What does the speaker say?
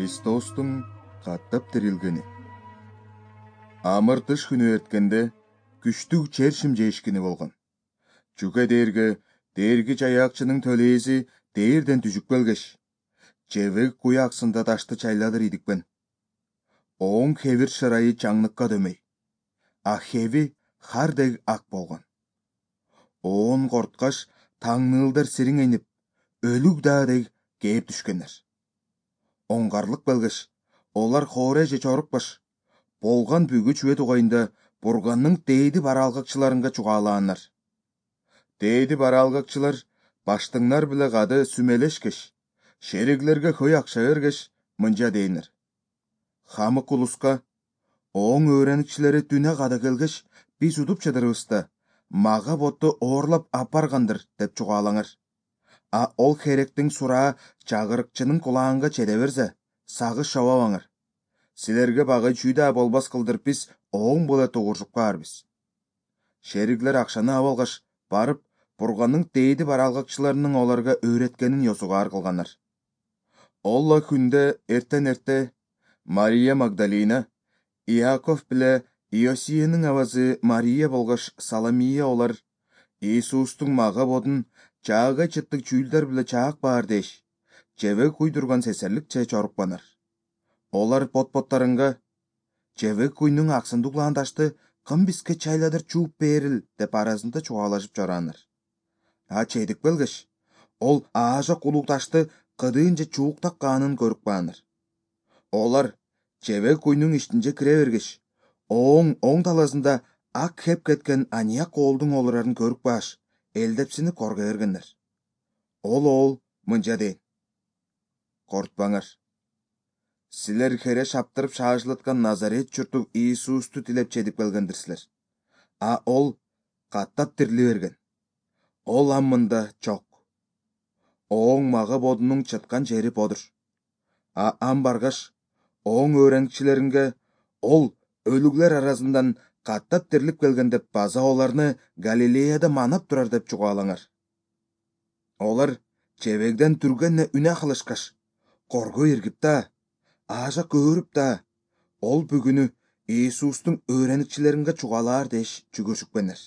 Христостун каттап тирилгени. Амыр-тыш күнү өткөндө күчтүү чершим жээшкини болгон. Чүгэ дээрги жаякчынын төлээси дээрден түшүп келгеш, жебек куй аксында ташты чайладыр идикпен. Оң хевир шырайы чаңныкка дөмөй, а хеви хардег ак болгон. Оон корткаш таңнылдар сириңенип, өлүк даадег кээп түшкөннөр. Оңгарлык белгеш, олар хоре же чорукпаш, болгон бүгү чүбө тугайында бурганның дээди баралгакчыларынга чугаалааннар. Дээди баралгакчылар баштыңнар биле кады сүмелешкеш, шериглерге көй акча бергеш, мынча дейнер: хамык улуска, оң өөреникчилери түнө када келгеш, биз удуп чыдырыбызда, мага ботту оорлап апаргандыр деп чугаалаңар. А ол херектин сураа чагырыкчынын кулаанга чеде берсе, сагыш шабабаңар. Силерге багый чүйдө болбас кылдыр биз оң боле тугуржуп каарбыз. Шериглер акчаны абалгаш, барып, бурганның дээди баралгакчыларынын оларга өөреткенин ёсугаар кылгандар. Олла күндө эртен Мария Магдалина, Иаков биле Иосиянын абазы Мария болгош Саломия олар Иисустун мага бодун чаагай чыттык чүүлдөр биле чаак баар деш, жебек куйдурган сесерликче чорукпанар. Олар бот-боттарынга: жебек куйнун аксында углаан ташты кым бизге чайладыр чууп берил деп арасында чугаалашып жораанар. А чейдик белгеш, ол аажак улуу ташты кыдыынча чууктаккаанын көрүп каанар. Олар жебек куйнун ичинче кире бергеш, оң таласында ак хеп кеткен анияк коолдун олорарын көрүп кааш, элдепсинип коргой бергеннер. Ол мынча дейт: кортпаңар. Силер хере шаптырып шаажылаткан Назарет журту Иисусту тилеп чедип келгендирсилер. А ол каттап тирили берген. Ол аммында жок. Оң мага бодунун чыткан жери бодур. А ам баргаш, оң өөреникчилеринге ол өлүглер арасынан каттап тирилип келген деп база оларны Галилеяда манап турар деп чугаалаңар. Олар жебегден түргенне үнө кылышкаш, коргой иргип да, аажак көөрүп да, ол бүгүнү Иисустун өөреникчилеринге чугаалаар деш жүгүрсүкпенер.